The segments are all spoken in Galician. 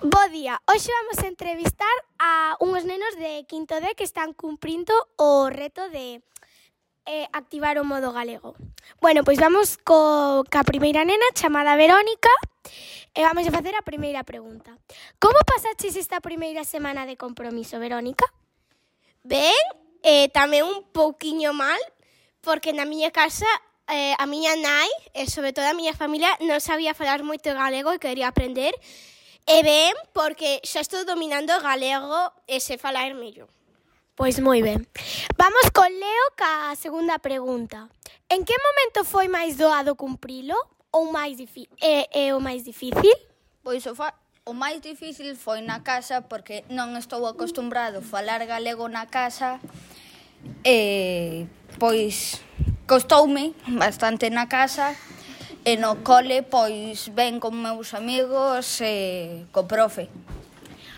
Bo día, hoxe vamos a entrevistar a uns nenos de quinto D que están cumprindo o reto de activar o modo galego. Bueno, pois vamos ca primeira nena chamada Verónica e vamos a facer a primeira pregunta. Como pasaches esta primeira semana de compromiso, Verónica? Ben, tamén un pouquiño mal, porque na miña casa a miña nai e sobre todo a miña familia non sabía falar moito galego e quería aprender. E ben, porque xa estou dominando o galego e sei falar mellor. Pois moi ben. Vamos con Leo ca segunda pregunta. En que momento foi máis doado cumprilo ou o máis difícil? Pois o máis difícil foi na casa porque non estou acostumbrado a falar galego na casa e pois costoume bastante na casa e no cole pois ben con meus amigos e co profe.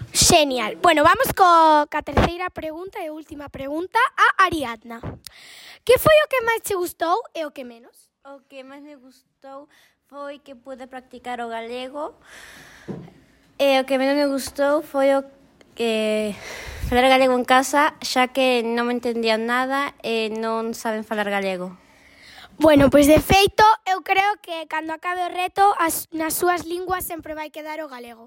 Xenial. Bueno, vamos ca terceira pregunta e última pregunta a Ariadna. Que foi o que máis che gustou e o que menos? O que máis me gustou foi que pude practicar o galego e o que menos me gustou foi o que falar galego en casa, xa que non me entendían nada e non saben falar galego. Bueno, pois de feito, eu creo que cando acabe o reto, nas súas linguas sempre vai quedar o galego.